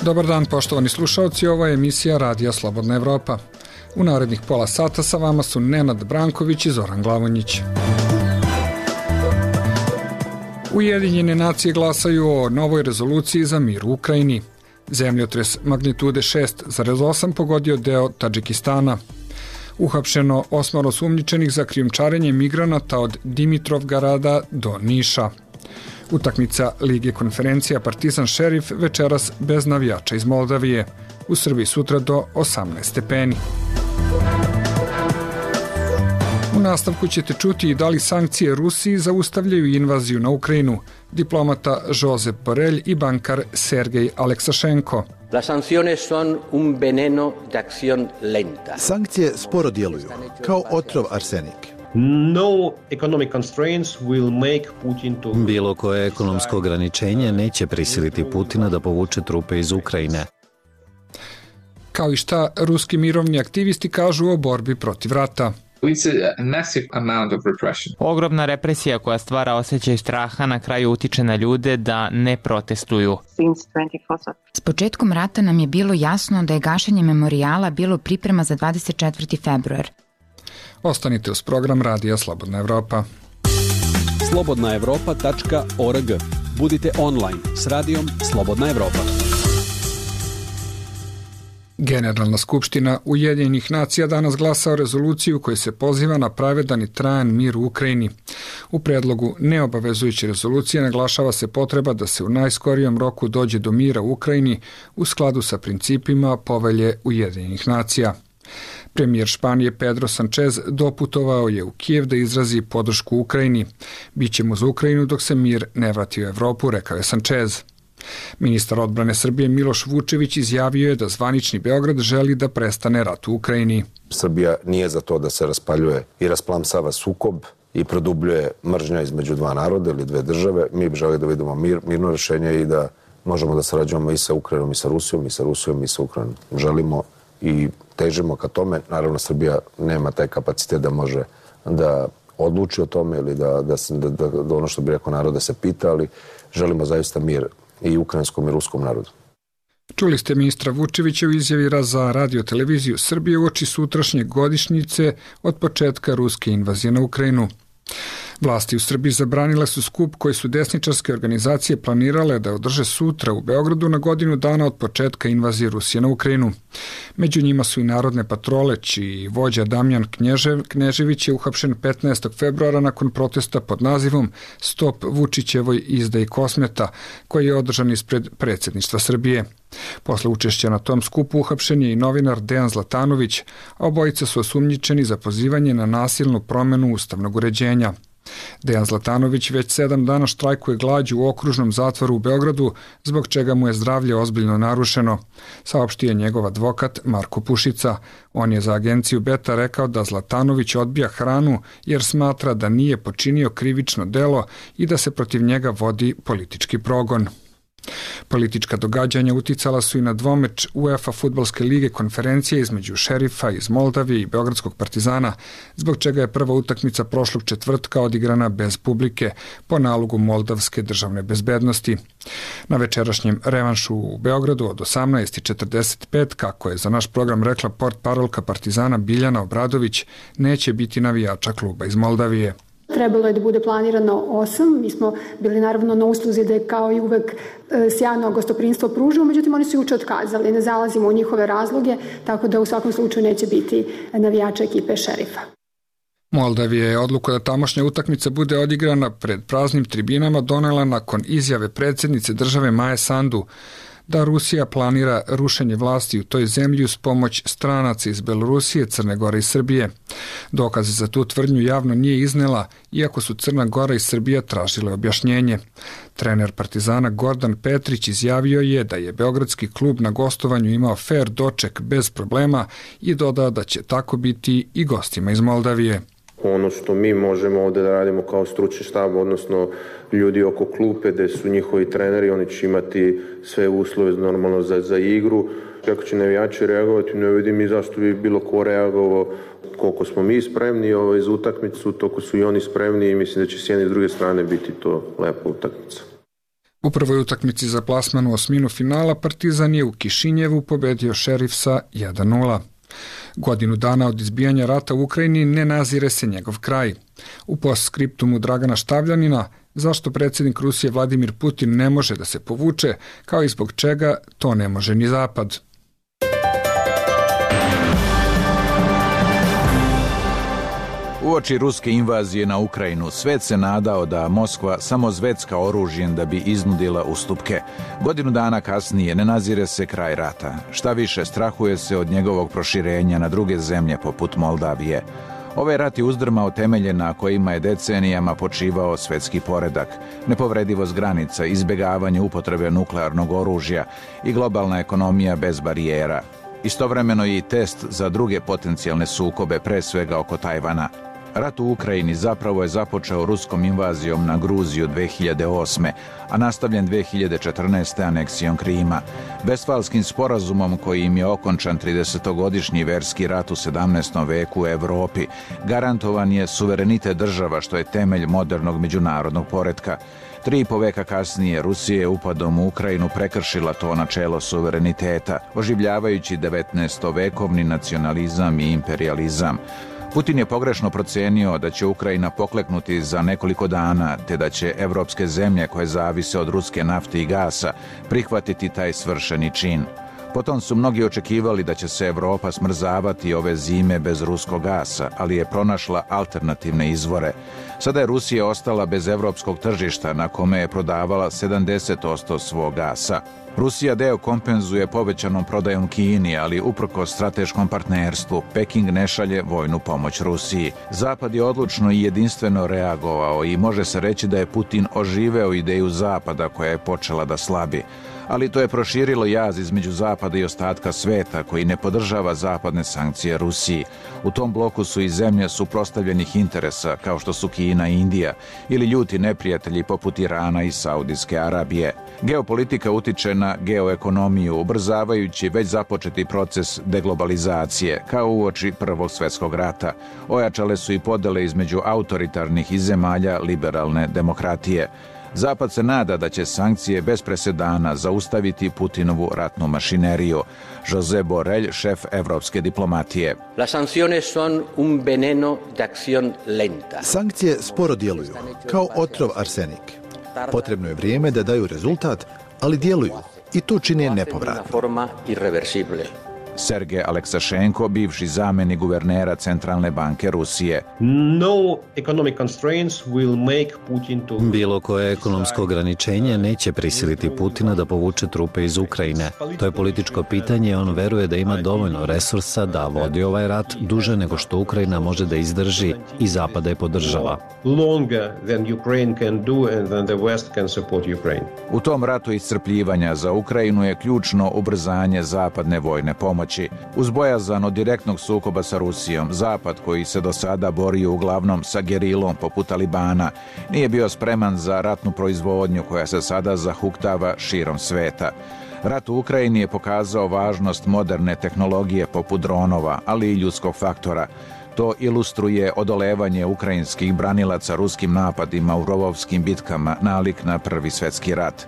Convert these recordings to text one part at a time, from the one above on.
Dobar dan, poštovani slušalci, ovo je emisija Radija Slobodna Evropa. U narednih pola sata sa vama su Nenad Branković i Zoran Glavonjić. Ujedinjene nacije glasaju o novoj rezoluciji za mir u Ukrajini. Zemljotres magnitude 6,8 pogodio deo Tadžikistana. Uhapšeno 8 osumnjičenih za krijumčarenje migranata od Dimitrovgrada do Niša. Utakmica Lige konferencija Partizan Šerif večeras bez navijača iz Moldavije. U Srbiji sutra do 18 stepeni. U nastavku ćete čuti i da li sankcije Rusiji zaustavljaju invaziju na Ukrajinu. Diplomata Josep Borrell i bankar Sergej Aleksašenko. Sankcije sporo djeluju, kao otrov arsenik. Bilo koje ekonomsko ograničenje neće prisiliti Putina da povuče trupe iz Ukrajine. Kao i šta ruski mirovni aktivisti kažu o borbi protiv rata. Ogromna represija koja stvara osjećaj straha na kraju utiče na ljude da ne protestuju. S početkom rata nam je bilo jasno da je gašenje memorijala bilo priprema za 24. februar. Ostanite uz program Radija Slobodna Evropa. slobodnaevropa.org. Budite online s radijom Slobodna Evropa. Generalna skupština Ujedinjenih nacija danas glasa o rezoluciju koja se poziva na pravedan i trajan mir u Ukrajini. U predlogu neobavezujuće rezolucije naglašava se potreba da se u najskorijom roku dođe do mira u Ukrajini u skladu sa principima Povelje Ujedinjenih nacija. Premijer Španije Pedro Sanchez doputovao je u Kijev da izrazi podršku Ukrajini. Bićemo za Ukrajinu dok se mir ne vrati u Evropu, rekao je Sanchez. Ministar odbrane Srbije Miloš Vučević izjavio je da zvanični Beograd želi da prestane rat u Ukrajini. Srbija nije za to da se raspaljuje i rasplamsava sukob i produbljuje mržnja između dva naroda ili dve države. Mi bi želi da vidimo mirno rješenje i da možemo da sarađujemo i sa Ukrajinom i sa Rusijom, i sa Rusijom i sa Ukrajinom. Želimo i težimo ka tome. Naravno, Srbija nema taj kapacitet da može da odluči o tome ili da ono što bi rekao narod da se pita, ali želimo zaista mir i ukrajinskom i ruskom narodu. Čuli ste ministra Vučevića u izjavi za Radio-televiziju Srbije uoči sutrašnje godišnjice od početka ruske invazije na Ukrajinu. Vlasti u Srbiji zabranile su skup koji su desničarske organizacije planirale da održe sutra u Beogradu na godinu dana od početka invazije Rusije na Ukrajinu. Među njima su i narodne patrole, čiji vođa Damjan Knežević je uhapšen 15. februara nakon protesta pod nazivom Stop Vučićevoj izdaji kosmeta, koji je održan ispred predsjedništva Srbije. Posle učešća na tom skupu uhapšen je i novinar Dejan Zlatanović, a obojica su osumnjičeni za pozivanje na nasilnu promenu ustavnog uređenja. Dejan Zlatanović već 7 dana štrajkuje glađu u okružnom zatvoru u Beogradu, zbog čega mu je zdravlje ozbiljno narušeno, saopštio je njegov advokat Marko Pušica. On je za agenciju Beta rekao da Zlatanović odbija hranu jer smatra da nije počinio krivično delo i da se protiv njega vodi politički progon. Politička događanja uticala su i na dvomeč UEFA fudbalske lige konferencije između Šerifa iz Moldavije i Beogradskog Partizana, zbog čega je prva utakmica prošlog četvrtka odigrana bez publike po nalogu Moldavske državne bezbednosti. Na večerašnjem revanšu u Beogradu od 18:45, kako je za naš program rekla portparolka Partizana Biljana Obradović, neće biti navijača kluba iz Moldavije. Trebalo je da bude planirano 8, mi smo bili naravno na usluzi da je kao i uvek sjajno gostoprinstvo pružilo, međutim oni su juče otkazali, ne zalazimo u njihove razloge, tako da u svakom slučaju neće biti navijača ekipe Šerifa. Moldavija je odluku da tamošnja utakmica bude odigrana pred praznim tribinama donela nakon izjave predsjednice države Maje Sandu da Rusija planira rušenje vlasti u toj zemlji uz pomoć stranaca iz Belorusije, Crne Gore i Srbije. Dokaze za tu tvrdnju javno nije iznela, iako su Crna Gora i Srbija tražile objašnjenje. Trener Partizana Gordan Petrić izjavio je da je beogradski klub na gostovanju imao fair doček bez problema i dodao da će tako biti i gostima iz Moldavije. Ono što mi možemo ovde da radimo kao stručni štab, odnosno ljudi oko klupe gde su njihovi treneri, oni će imati sve uslove normalno za igru. Kako će navijači reagovati, ne vidim i zašto bi bilo ko reagovao. Koliko smo mi spremni za utakmicu, toliko su i oni spremni i mislim da će s jedne i s druge strane biti to lepa utakmica. U prvoj utakmici za plasman u osminu finala Partizan je u Kišinjevu pobedio Šerif sa 1:0. Godinu dana od izbijanja rata u Ukrajini ne nazire se njegov kraj. U postskriptumu Dragana Štavljanina zašto predsjednik Rusije Vladimir Putin ne može da se povuče, kao i zbog čega to ne može ni Zapad. Uoči ruske invazije na Ukrajinu, svet se nadao da Moskva samo zvecka oružjem da bi iznudila ustupke. Godinu dana kasnije ne nazire se kraj rata. Šta više, strahuje se od njegovog proširenja na druge zemlje poput Moldavije. Ovaj rat je uzdrmao temelje na kojima je decenijama počivao svetski poredak, nepovredivost granica, izbjegavanje upotrebe nuklearnog oružja i globalna ekonomija bez barijera. Istovremeno je i test za druge potencijalne sukobe, pre svega oko Tajvana. Rat u Ukrajini zapravo je započeo ruskom invazijom na Gruziju 2008. a nastavljen 2014. aneksijom Krima. Vestfalskim sporazumom kojim je okončan 30-godišnji verski rat u 17. veku u Evropi, garantovan je suverenitet država što je temelj modernog međunarodnog poretka. 3,5 veka kasnije Rusija je upadom u Ukrajinu prekršila to načelo suvereniteta, oživljavajući 19-vekovni nacionalizam i imperializam. Putin je pogrešno procenio da će Ukrajina pokleknuti za nekoliko dana, te da će evropske zemlje koje zavise od ruske nafte i gasa prihvatiti taj svršeni čin. Potom su mnogi očekivali da će se Evropa smrzavati ove zime bez ruskog gasa, ali je pronašla alternativne izvore. Sada je Rusija ostala bez evropskog tržišta na kome je prodavala 70% svog gasa. Rusija deo kompenzuje povećanom prodajom Kini, ali uprkos strateškom partnerstvu, Peking ne šalje vojnu pomoć Rusiji. Zapad je odlučno i jedinstveno reagovao i može se reći da je Putin oživeo ideju Zapada koja je počela da slabi. Ali to je proširilo jaz između Zapada i ostatka sveta koji ne podržava zapadne sankcije Rusiji. U tom bloku su i zemlje suprotstavljenih interesa kao što su Kina i Indija ili ljuti neprijatelji poput Irana i Saudijske Arabije. Geopolitika utiče na geoekonomiju, ubrzavajući već započeti proces deglobalizacije, kao uoči Prvog svjetskog rata. Ojačale su i podele između autoritarnih i zemalja liberalne demokratije. Zapad se nada da će sankcije bez presedana zaustaviti Putinovu ratnu mašineriju. José Borrell, šef evropske diplomatije. Sankcije sporo djeluju, kao otrov arsenik. Potrebno je vrijeme da daju rezultat, ali djeluju i to čine nepovratno. Sergej Aleksašenko, bivši zamjenik guvernera Centralne banke Rusije. Bilo koje ekonomsko ograničenje neće prisiliti Putina da povuče trupe iz Ukrajine. To je političko pitanje i on veruje da ima dovoljno resursa da vodi ovaj rat duže nego što Ukrajina može da izdrži i Zapada je podržava. U tom ratu iscrpljivanja za Ukrajinu je ključno ubrzanje zapadne vojne pomoći. Uz bojazan od direktnog sukoba sa Rusijom, Zapad, koji se do sada borio uglavnom sa gerilom poput Talibana, nije bio spreman za ratnu proizvodnju koja se sada zahuktava širom sveta. Rat u Ukrajini je pokazao važnost moderne tehnologije poput dronova, ali i ljudskog faktora. To ilustruje odolevanje ukrajinskih branilaca ruskim napadima u rovovskim bitkama nalik na Prvi svjetski rat.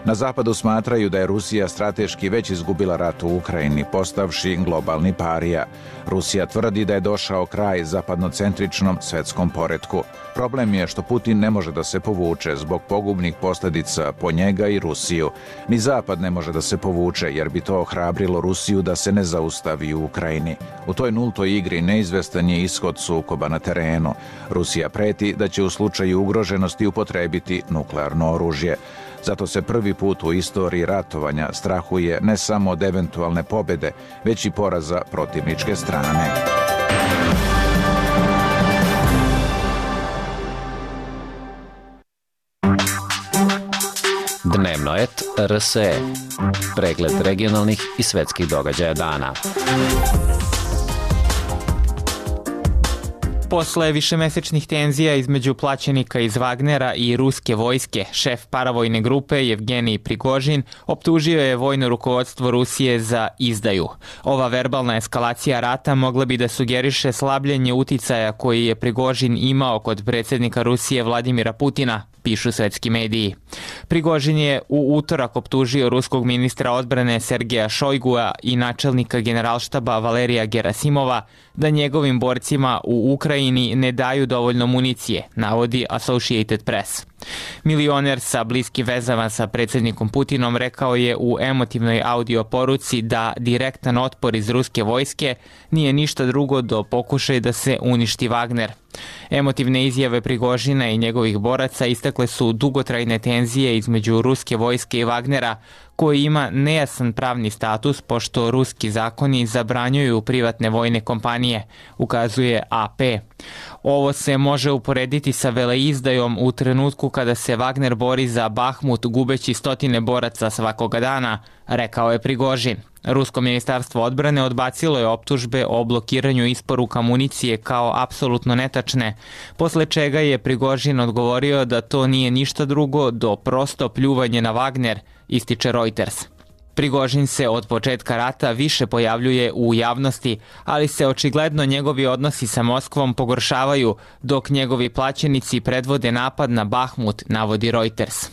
Na Zapadu smatraju da je Rusija strateški već izgubila rat u Ukrajini, postavši globalni parija. Rusija tvrdi da je došao kraj zapadnocentričnom svetskom poretku. Problem je što Putin ne može da se povuče zbog pogubnih posljedica po njega i Rusiju. Ni Zapad ne može da se povuče jer bi to ohrabrilo Rusiju da se ne zaustavi u Ukrajini. U toj nultoj igri neizvestan je ishod sukoba na terenu. Rusija preti da će u slučaju ugroženosti upotrebiti nuklearno oružje. Zato se prvi put u istoriji ratovanja strahuje ne samo od eventualne pobjede, već i poraza protivničke strane. Dnevnoet RSE. Pregled regionalnih i svetskih događaja dana. Posle višemesečnih tenzija između plaćenika iz Wagnera i ruske vojske, šef paravojne grupe Jevgenij Prigožin optužio je vojno rukovodstvo Rusije za izdaju. Ova verbalna eskalacija rata mogla bi da sugeriše slabljenje uticaja koji je Prigožin imao kod predsjednika Rusije Vladimira Putina, pišu svetski mediji. Prigožin je u utorak optužio ruskog ministra odbrane Sergeja Šojgua i načelnika generalštaba Valerija Gerasimova da njegovim borcima u Ukrajini ne daju dovoljno municije, navodi Associated Press. Milioner sa bliskim vezama sa predsjednikom Putinom rekao je u emotivnoj audio poruci da direktan otpor iz ruske vojske nije ništa drugo do pokušaj da se uništi Wagner. Emotivne izjave Prigožina i njegovih boraca istakle su dugotrajne tenzije između ruske vojske i Wagnera, koji ima nejasan pravni status pošto ruski zakoni zabranjuju privatne vojne kompanije, ukazuje AP. Ovo se može uporediti sa veleizdajom u trenutku kada se Wagner bori za Bahmut gubeći stotine boraca svakoga dana, rekao je Prigožin. Rusko ministarstvo odbrane odbacilo je optužbe o blokiranju isporuka municije kao apsolutno netačne, posle čega je Prigožin odgovorio da to nije ništa drugo do prosto pljuvanje na Wagner, ističe Reuters. Prigožin se od početka rata više pojavljuje u javnosti, ali se očigledno njegovi odnosi sa Moskvom pogoršavaju, dok njegovi plaćenici predvode napad na Bahmut, navodi Reuters.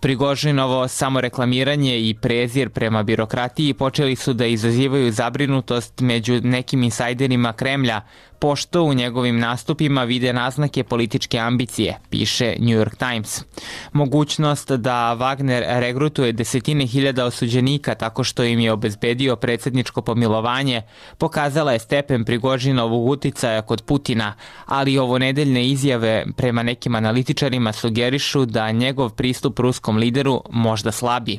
Prigožinovo samoreklamiranje i prezir prema birokratiji počeli su da izazivaju zabrinutost među nekim insajderima Kremlja, pošto u njegovim nastupima vide naznake političke ambicije, piše New York Times. Mogućnost da Wagner regrutuje desetine hiljada osuđenika tako što im je obezbedio predsjedničko pomilovanje, pokazala je stepen Prigožinovog uticaja kod Putina, ali ovo nedeljne izjave prema nekim analitičarima sugerišu da njegov pristup ruskom lideru možda slabi.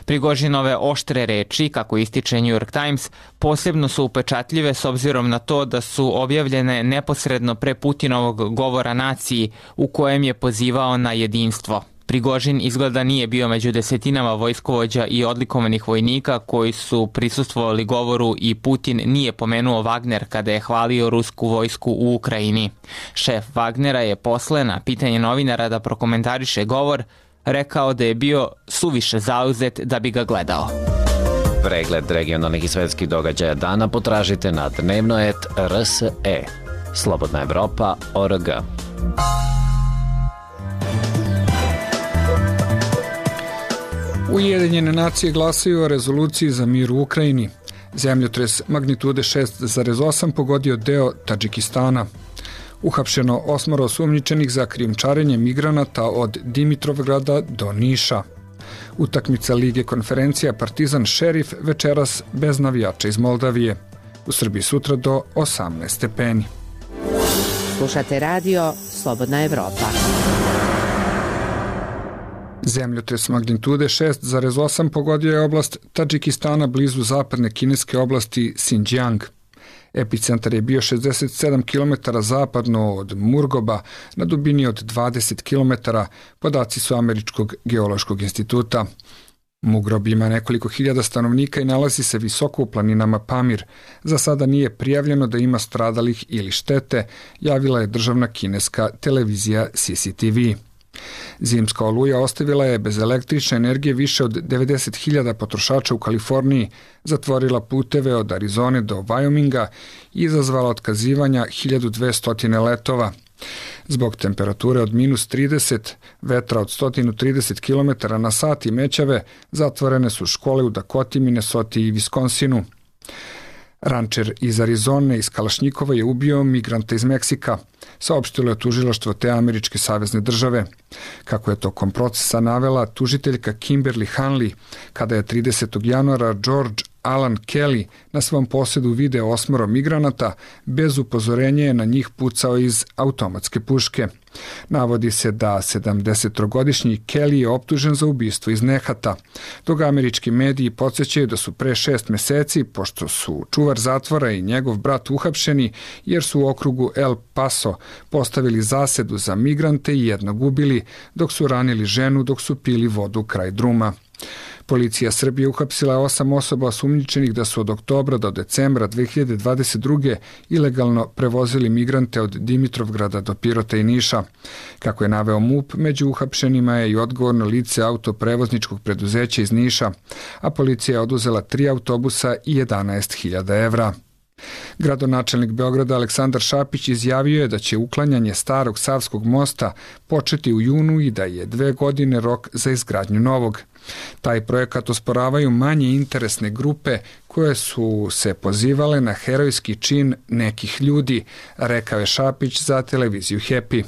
Prigožinove oštre reči, kako ističe New York Times, posebno su upečatljive s obzirom na to da su objavljene neposredno pre Putinovog govora naciji u kojem je pozivao na jedinstvo. Prigožin izgleda nije bio među desetinama vojskovođa i odlikovanih vojnika koji su prisustvovali govoru i Putin nije pomenuo Wagner kada je hvalio rusku vojsku u Ukrajini. Šef Wagnera je posle na pitanje novinara da prokomentariše govor rekao da je bio suviše zauzet da bi ga gledao. Pregled regionalnih i svetskih događaja dana potražite na dnevnoet.rse. Slobodna Evropa.org. Ujedinjene nacije glasaju o rezoluciji za mir u Ukrajini. Zemljotres magnitude 6,8 pogodio deo Tadžikistana. Uhapšeno 8 osumnjičenih za krijumčarenje migranata od Dimitrovgrada do Niša. Utakmica Lige konferencija Partizan Šerif večeras bez navijača iz Moldavije. U Srbiji sutra do 18 stepeni. Slušate radio Slobodna Evropa. Zemljotres magnitude 6,8 pogodio je oblast Tadžikistana blizu zapadne kineske oblasti Xinjiang. Epicentar je bio 67 km zapadno od Murgoba na dubini od 20 km, podaci su Američkog geološkog instituta. Mugrob ima nekoliko hiljada stanovnika i nalazi se visoko u planinama Pamir. Za sada nije prijavljeno da ima stradalih ili štete, javila je državna kineska televizija CCTV. Zimska oluja ostavila je bez električne energije više od 90.000 potrošača u Kaliforniji, zatvorila puteve od Arizone do Wyominga i izazvala otkazivanja 1200 letova. Zbog temperature od -30, vetra od 130 km na sat i mećave, zatvorene su škole u Dakoti, Minnesoti i Viskonsinu. Rančer iz Arizone iz Kalašnjikova je ubio migranta iz Meksika, saopštilo je tužilaštvo te američke savezne države. Kako je tokom procesa navela tužiteljka Kimberly Hanley, kada je 30. januara George Alan Kelly na svom posedu video 8 migranata, bez upozorenja je na njih pucao iz automatske puške. Navodi se da 70-godišnji Kelly je optužen za ubistvo iz nehata, dok američki mediji podsjećaju da su pre 6 meseci, pošto su čuvar zatvora i njegov brat uhapšeni, jer su u okrugu El Paso postavili zasedu za migrante i jednog ubili, dok su ranili ženu dok su pili vodu kraj druma. Policija Srbije uhapsila 8 osoba osumnjičenih da su od oktobra do decembra 2022. ilegalno prevozili migrante od Dimitrovgrada do Pirota i Niša. Kako je naveo MUP, među uhapšenima je i odgovorno lice autoprevozničkog preduzeća iz Niša, a policija je oduzela 3 autobusa i 11.000 evra. Gradonačelnik Beograda Aleksandar Šapić izjavio je da će uklanjanje starog Savskog mosta početi u junu i da je 2 godine rok za izgradnju novog. Taj projekat osporavaju manje interesne grupe koje su se pozivale na herojski čin nekih ljudi, rekao je Šapić za televiziju Happy.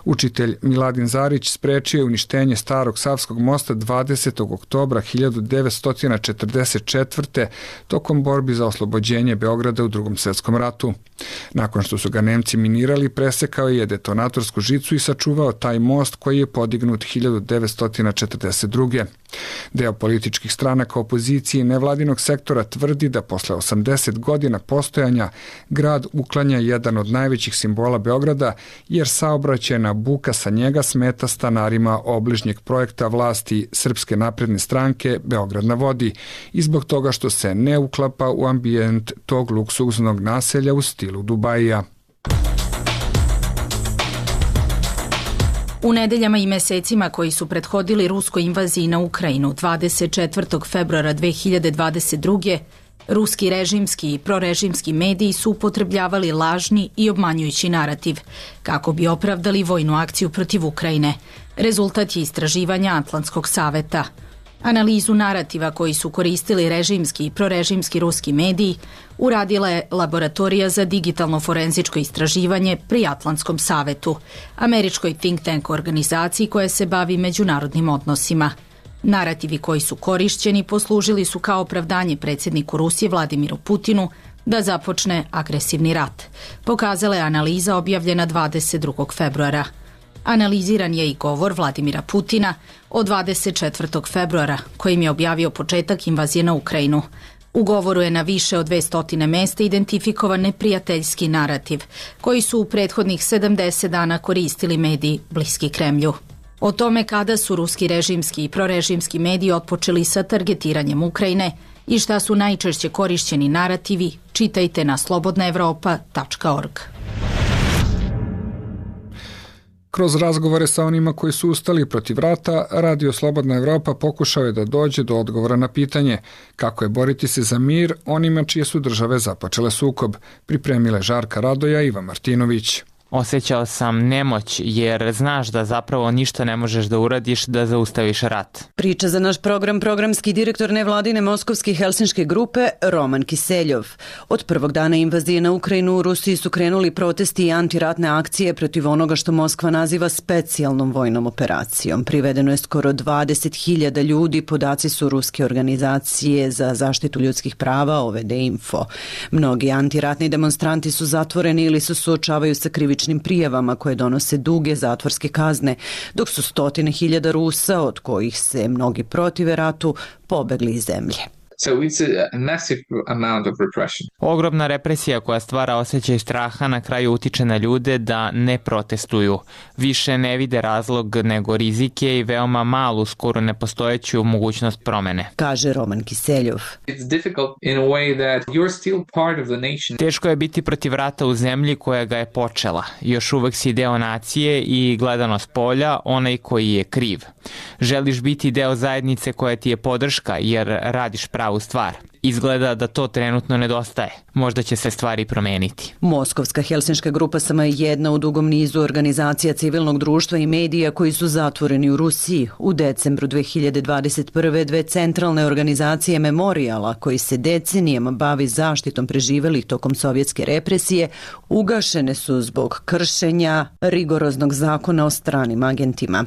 Učitelj Miladin Zarić sprečio je uništenje starog Savskog mosta 20. oktobra 1944. tokom borbi za oslobođenje Beograda u Drugom svetskom ratu. Nakon što su ga Nemci minirali, presekao je detonatorsku žicu i sačuvao taj most koji je podignut 1942. Deo političkih stranaka opozicije i nevladinog sektora tvrdi da posle 80 godina postojanja grad uklanja jedan od najvećih simbola Beograda, jer saobraćajna buka sa njega smeta stanarima obližnjeg projekta vlasti Srpske napredne stranke Beograd na vodi i zbog toga što se ne uklapa u ambijent tog luksuznog naselja u stilu Dubajija. U nedeljama i mesecima koji su prethodili ruskoj invaziji na Ukrajinu 24. februara 2022. ruski režimski i prorežimski mediji su upotrebljavali lažni i obmanjujući narativ kako bi opravdali vojnu akciju protiv Ukrajine. Rezultat je istraživanja Atlantskog saveta. Analizu narativa koji su koristili režimski i prorežimski ruski mediji uradila je Laboratorija za digitalno forenzičko istraživanje pri Atlantskom savetu, američkoj think tank organizaciji koja se bavi međunarodnim odnosima. Narativi koji su korišćeni poslužili su kao opravdanje predsjedniku Rusije Vladimiru Putinu da započne agresivni rat, pokazala je analiza objavljena 22. februara. Analiziran je i govor Vladimira Putina od 24. februara, kojim je objavio početak invazije na Ukrajinu. U govoru je na više od 200 mesta identifikovan neprijateljski narativ, koji su u prethodnih 70 dana koristili mediji bliski Kremlju. O tome kada su ruski režimski i prorežimski mediji otpočeli sa targetiranjem Ukrajine i šta su najčešće korišćeni narativi, čitajte na slobodnaevropa.org. Kroz razgovore sa onima koji su ustali protiv rata, Radio Slobodna Evropa pokušao je da dođe do odgovora na pitanje kako je boriti se za mir onima čije su države započele sukob, pripremile Žarka Radoja i Iva Martinović. Osjećao sam nemoć jer znaš da zapravo ništa ne možeš da uradiš da zaustaviš rat. Priča za naš program programski direktor nevladine moskovske helsinške grupe Roman Kiseljov. Od prvog dana invazije na Ukrajinu u Rusiji su krenuli protesti i antiratne akcije protiv onoga što Moskva naziva specijalnom vojnom operacijom. Privedeno je skoro 20.000 ljudi, podaci su ruske organizacije za zaštitu ljudskih prava OVD Info. Mnogi antiratni demonstranti su zatvoreni ili se suočavaju sa krivičnim prijavama koje donose duge zatvorske kazne, dok su 100.000 Rusa, od kojih se mnogi protive ratu, pobegli iz zemlje. So it's a massive amount of repression. Ogromna represija koja stvara osjećaj straha na kraju utiče na ljude da ne protestuju. Više ne vide razlog nego rizike i veoma malu, skoro nepostojeću mogućnost promene. Kaže Roman Kiseljov. It's difficult in a way that you're still part of the nation. Teško je biti protiv rata u zemlji koja ga je počela. Još uvek si deo nacije i gledano s polja onaj koji je kriv. Želiš biti deo zajednice koja ti je podrška jer radiš pravu stvar. Izgleda da to trenutno nedostaje. Možda će se stvari promeniti. Moskovska helsinška grupa samo je jedna u dugom nizu organizacija civilnog društva i medija koji su zatvoreni u Rusiji. U decembru 2021. dve centralne organizacije Memorijala, koji se decenijama bavi zaštitom preživelih tokom sovjetske represije, ugašene su zbog kršenja rigoroznog zakona o stranim agentima.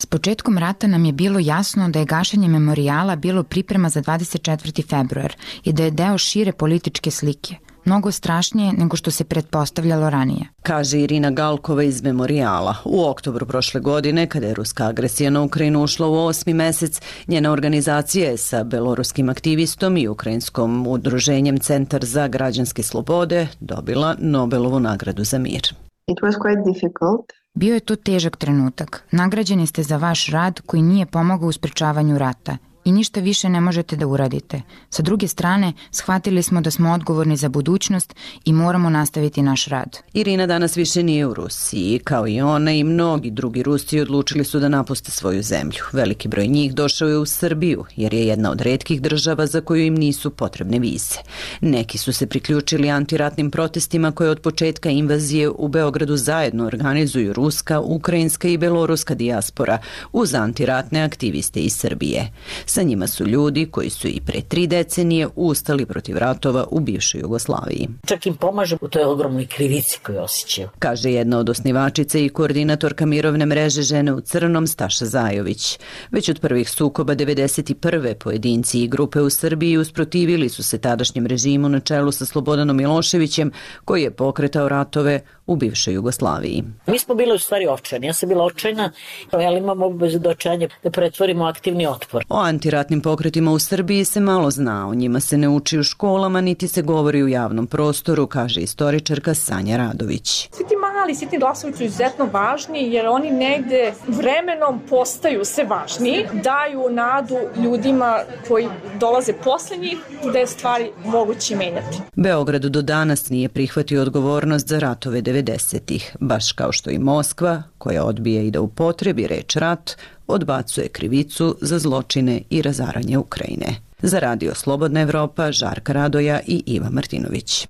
S početkom rata nam je bilo jasno da je gašenje memorijala bilo priprema za 24. februar i da je deo šire političke slike. Mnogo strašnije nego što se pretpostavljalo ranije. Kaže Irina Galkova iz Memorijala. U oktobru prošle godine, kada je ruska agresija na Ukrajinu ušla u 8. mesec, njena organizacija je sa beloruskim aktivistom i ukrajinskom udruženjem Centar za građanske slobode dobila Nobelovu nagradu za mir. It was quite difficult. Bio je to težak trenutak. Nagrađeni ste za vaš rad koji nije pomogao u sprečavanju rata i ništa više ne možete da uradite. Sa druge strane, shvatili smo da smo odgovorni za budućnost i moramo nastaviti naš rad. Irina danas više nije u Rusiji. Kao i ona i mnogi drugi Rusi odlučili su da napuste svoju zemlju. Veliki broj njih došao je u Srbiju, jer je jedna od retkih država za koju im nisu potrebne vize. Neki su se priključili antiratnim protestima koje od početka invazije u Beogradu zajedno organizuju ruska, ukrajinska i beloruska dijaspora uz antiratne aktiviste iz Srbije. Sa njima su ljudi koji su i pre 3 decenije ustali protiv ratova u bivšoj Jugoslaviji. Čak im pomaže u toj ogromnoj krivici koju osjećaju. Kaže jedna od osnivačica i koordinatorka mirovne mreže Žene u crnom Staša Zajović. Već od prvih sukoba 1991. pojedinci i grupe u Srbiji usprotivili su se tadašnjem režimu na čelu sa Slobodanom Miloševićem, koji je pokretao ratove u bivšoj Jugoslaviji. Mi smo bili u stvari očajni. Ja sam bila očajna, ali imamo obavezu do očajanja da pretvorimo aktivni otpor. O antiratnim pokretima u Srbiji se malo zna, o njima se ne uči u školama, niti se govori u javnom prostoru, kaže istoričarka Sanja Radović. Svi ti mali, svi ti glasovi su izuzetno važni, jer oni negde vremenom postaju sve važniji, daju nadu ljudima koji dolaze posle njih da je stvari moguće menjati. Beograd do danas nije prihvatio odgovornost za ratove 90-ih, baš kao što i Moskva, koja odbija i da upotrebi reč rat, odbacuje krivicu za zločine i razaranje Ukrajine. Za Radio Slobodna Evropa, Žarka Radoja i Iva Martinović.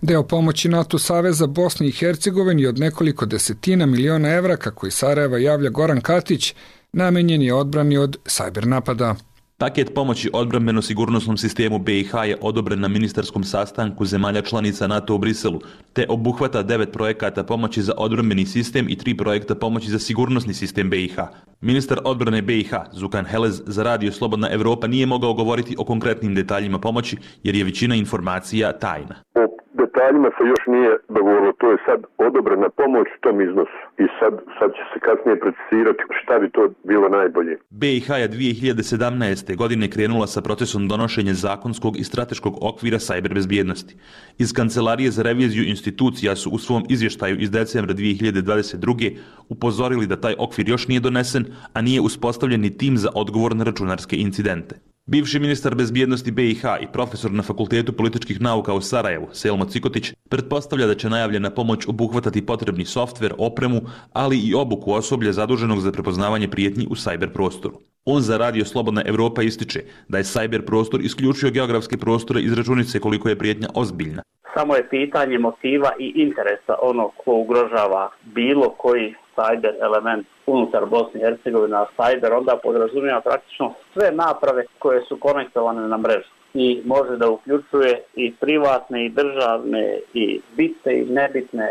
Deo pomoći NATO Saveza Bosni i Hercegovini od nekoliko desetina miliona evra, kako iz Sarajeva javlja Goran Katić, namenjen je odbrani od sajber napada. Paket pomoći odbrambeno-sigurnosnom sistemu BiH je odobren na ministarskom sastanku zemalja članica NATO u Briselu, te obuhvata 9 projekata pomoći za odbrambeni sistem i 3 projekta pomoći za sigurnosni sistem BiH. Ministar odbrane BiH, Zukan Helez, za Radio Slobodna Evropa nije mogao govoriti o konkretnim detaljima pomoći, jer je većina informacija tajna. Detaljima se još nije dogovorilo, to je sad odobrena pomoć u tom iznosu i sad će se kasnije precisirati šta bi to bilo najbolje. BiH je 2017. godine krenula sa procesom donošenja zakonskog i strateškog okvira sajber bezbjednosti. Iz Kancelarije za reviziju institucija su u svom izvještaju iz decembra 2022. upozorili da taj okvir još nije donesen, a nije uspostavljen ni tim za odgovor na računarske incidente. Bivši ministar bezbjednosti BiH i profesor na Fakultetu političkih nauka u Sarajevu, Selmo Cikotić, pretpostavlja da će najavljena pomoć obuhvatati potrebni softver, opremu, ali i obuku osoblja zaduženog za prepoznavanje prijetnji u sajber prostoru. On za Radio Slobodna Evropa ističe da je sajber prostor isključio geografske prostore iz računice koliko je prijetnja ozbiljna. Samo je pitanje motiva i interesa onog ko ugrožava bilo koji sajber element unutar Bosne i Hercegovine, a sajber onda podrazumijeva praktično sve naprave koje su konektovane na mrežu i može da uključuje i privatne i državne i bitne i nebitne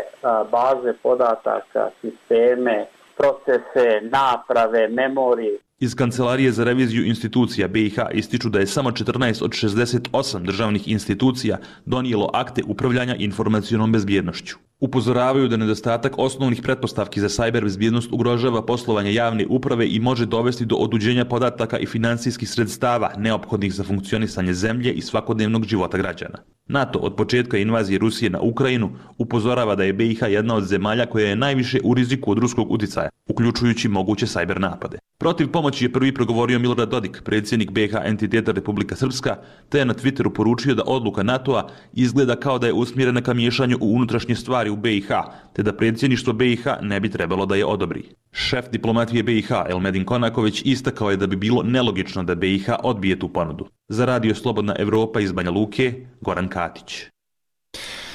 baze podataka, sisteme, procese, naprave, memorije. Iz Kancelarije za reviziju institucija BiH ističu da je samo 14 od 68 državnih institucija donijelo akte upravljanja informacionom bezbjednošću. Upozoravaju da nedostatak osnovnih pretpostavki za sajber bezbjednost ugrožava poslovanje javne uprave i može dovesti do otuđenja podataka i finansijskih sredstava neophodnih za funkcionisanje zemlje i svakodnevnog života građana. NATO od početka invazije Rusije na Ukrajinu upozorava da je BiH jedna od zemalja koja je najviše u riziku od ruskog uticaja, uključujući moguće sajber napade. Protiv pomoći je prvi progovorio Milorad Dodik, predsjednik BiH entiteta Republika Srpska, te je na Twitteru poručio da odluka NATO-a izgleda kao da je usmjerena ka miješanju u unutrašnje stvari u BiH, te da predsjedništvo BiH ne bi trebalo da je odobri. Šef diplomatije BiH Elmedin Konaković istakao je da bi bilo nelogično da BiH odbije tu ponudu. Za Radio Slobodna Evropa iz Banja Luke, Goran Katić.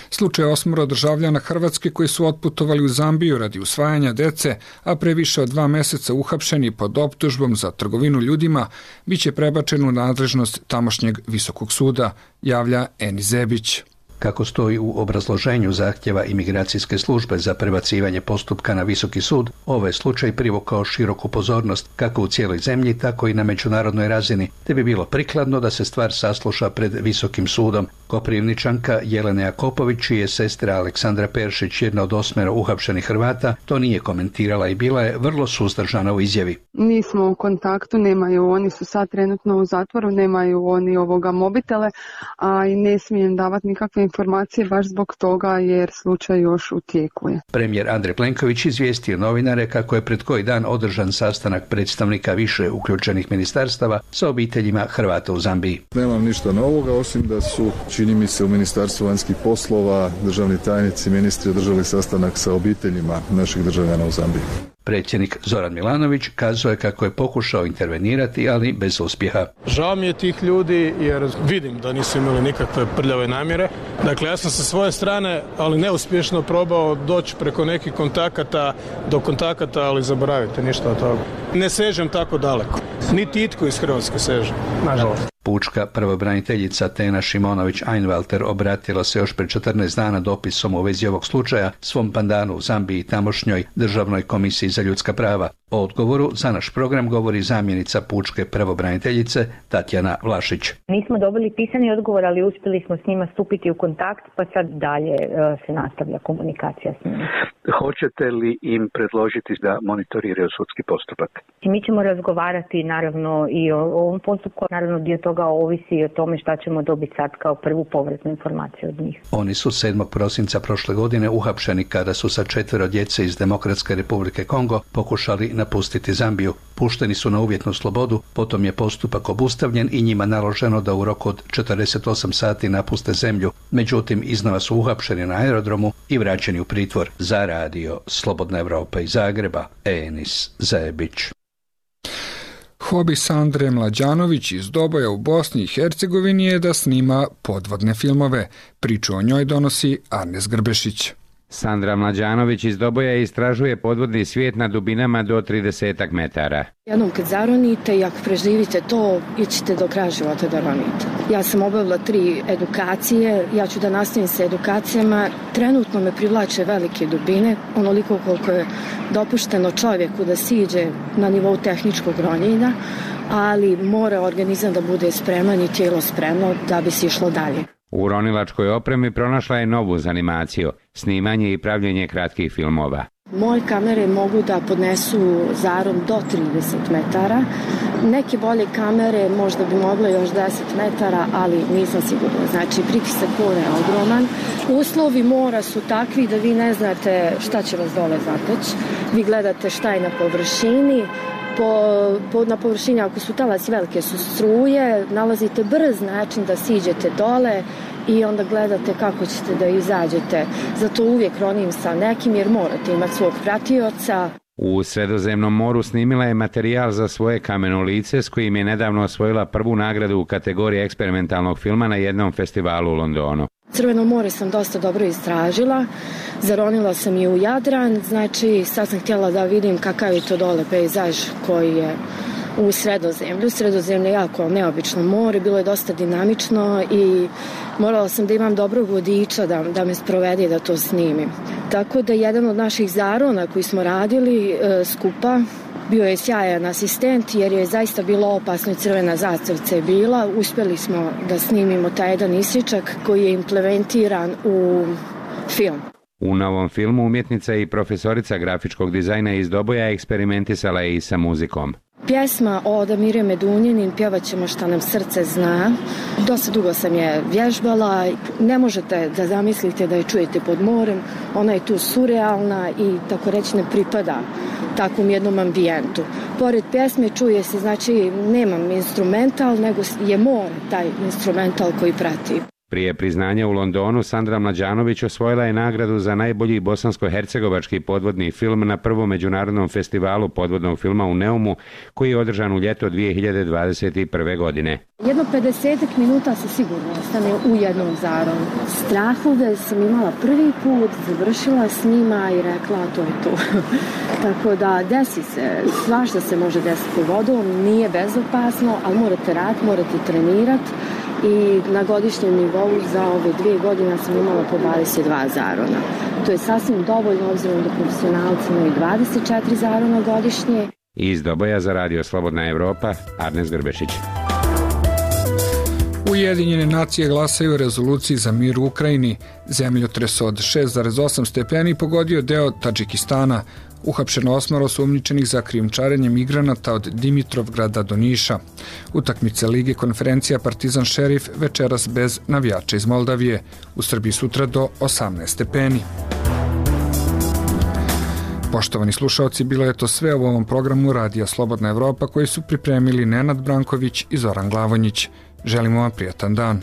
Slučaj 8 državljana Hrvatske koji su otputovali u Zambiju radi usvajanja dece, a pre više od 2 meseca uhapšeni pod optužbom za trgovinu ljudima, biće prebačen u nadležnost tamošnjeg Visokog suda, javlja Eni Zebić. Kako stoji u obrazloženju zahtjeva imigracijske službe za prebacivanje postupka na Visoki sud, ovaj slučaj privukao široku pozornost kako u cijeloj zemlji, tako i na međunarodnoj razini, te bi bilo prikladno da se stvar sasluša pred Visokim sudom. Koprivničanka Jelena Jakopović, čija je sestra Aleksandra Peršić jedna od 8 uhapšenih Hrvata, to nije komentirala i bila je vrlo suzdržana u izjavi. Nismo u kontaktu, nemaju, oni su sad trenutno u zatvoru, nemaju oni mobitele, a i ne smijem davati nikakve informacije baš zbog toga jer slučaj još u tijeku je. Premijer Andrej Plenković izvijestio novinare kako je pred koji dan održan sastanak predstavnika više uključenih ministarstava sa obiteljima Hrvata u Zambiji. Nemam ništa novoga, osim da su, čini mi se, u Ministarstvu vanjskih poslova državni tajnici, ministri održali sastanak sa obiteljima naših državljana u Zambiji. Predsjednik Zoran Milanović kazao je kako je pokušao intervenirati, ali bez uspjeha. Žao mi je tih ljudi jer vidim da nisu imali nikakve prljave namjere. Dakle, ja sam sa svoje strane, ali neuspješno probao doći preko nekih kontakata do kontakata, ali zaboravite ništa od toga. Ne sežem tako daleko. Niti itko iz Hrvatske seže, nažalost. Pučka pravobraniteljica Tena Šimonović-Einwalter obratila se još pred 14 dana dopisom u vezi ovog slučaja svom pandanu u Zambiji i tamošnjoj Državnoj komisiji za ljudska prava. O odgovoru za naš program govori zamjenica pučke pravobraniteljice Tatjana Vlašić. Nismo dobili pisani odgovor, ali uspjeli smo s njima stupiti u kontakt, pa sad dalje se nastavlja komunikacija s njima. Hoćete li im predložiti da monitoriraju sudski postupak? Mi ćemo razgovarati naravno i o ovom postupku, naravno dio toga ovisi i o tome šta ćemo dobiti sad kao prvu povratnu informaciju od njih. Oni su 7. prosinca prošle godine uhapšeni kada su sa 4 djece iz Demokratske republike Kongo pokušali napustiti Zambiju. Pušteni su na uvjetnu slobodu, potom je postupak obustavljen i njima naloženo da u roku od 48 sati napuste zemlju. Međutim, iznova su uhapšeni na aerodromu i vraćeni u pritvor. Za radio Slobodna Evropa iz Zagreba, Enis Zajebić. Hobi Sandre Mlađanović iz Doboja u Bosni i Hercegovini je da snima podvodne filmove. Priču o njoj donosi Arnes Grbešić. Sandra Mlađanović iz Doboja istražuje podvodni svijet na dubinama do 30 metara. Jednom kad zaronite i ako preživite to, ićete do kraja života da ronite. Ja sam obavila 3 edukacije, ja ću da nastavim sa edukacijama. Trenutno me privlače velike dubine, onoliko koliko je dopušteno čovjeku da siđe na nivou tehničkog ronjenja, ali mora organizam da bude spreman i tijelo spremno da bi se išlo dalje. U ronilačkoj opremi pronašla je novu zanimaciju, snimanje i pravljenje kratkih filmova. Moje kamere mogu da podnesu zaron do 30 metara. Neke bolje kamere možda bi mogle još 10 metara, ali nisam sigurna. Znači, pritisak mora je ogroman. Uslovi mora su takvi da vi ne znate šta će vas dole zateći. Vi gledate šta je na površini. Na površini, ako su talasi velike, su struje, nalazite brz način da siđete dole i onda gledate kako ćete da izađete. Zato uvijek ronim sa nekim jer morate imati svog pratioca. U Sredozemnom moru snimila je materijal za svoje kameno lice s kojim je nedavno osvojila prvu nagradu u kategoriji eksperimentalnog filma na jednom festivalu u Londonu. Crveno more sam dosta dobro istražila, zaronila sam i u Jadran, znači sad sam htjela da vidim kakav je to dole pejzaž koji je u Sredozemlju. Sredozemlje je jako neobično more, bilo je dosta dinamično i morala sam da imam dobrog vodiča da me sprovede da to snimim. Tako da jedan od naših zarona koji smo radili skupa bio je sjajan asistent jer je zaista bilo opasno i crvena zastavica je bila. Uspjeli smo da snimimo taj jedan isječak koji je implementiran u film. U novom filmu umjetnica i profesorica grafičkog dizajna iz Doboja eksperimentisala je i sa muzikom. Pjesma od Amire Medunjanin, pjevat ćemo Šta nam srce zna. Dosta dugo sam je vježbala. Ne možete da zamislite da je čujete pod morem. Ona je tu surrealna i tako reći ne pripada takvom jednom ambijentu. Pored pjesme čuje se, znači nemam instrumental, nego je more taj instrumental koji prati. Prije priznanja u Londonu, Sandra Mlađanović osvojila je nagradu za najbolji bosansko-hercegovački podvodni film na prvom međunarodnom festivalu podvodnog filma u Neumu, koji je održan u ljeto 2021. godine. Jedno 50 minuta se sigurno ostane u jednom zaronu. Strahove sam imala prvi put, završila s njima i rekla to je to. Tako da desi se, svašta se može desiti vodom, nije bezopasno, ali morate raditi, morate trenirati. I na godišnjem nivou za ove 2 godine sam imala po 22 zarona. To je sasvim dovoljno obzirom da profesionalci imaju 24 zarona godišnje. Iz Doboja za radio Slobodna Evropa, Arnes Grbešić. U Ujedinjene nacije glasaju o rezoluciji za mir u Ukrajini. Zemljotres od 6,8 stepeni pogodio deo Tadžikistana. Uhapšeno 8 osumnjičenih za krijumčarenje migranata od Dimitrovgrada do Niša. Utakmice Lige konferencija Partizan Šerif večeras bez navijača iz Moldavije. U Srbiji sutra do 18 stepeni. Poštovani slušaoci, bilo je to sve u ovom programu Radija Slobodna Evropa koji su pripremili Nenad Branković i Zoran Glavonjić. Želimo vam prijatan dan.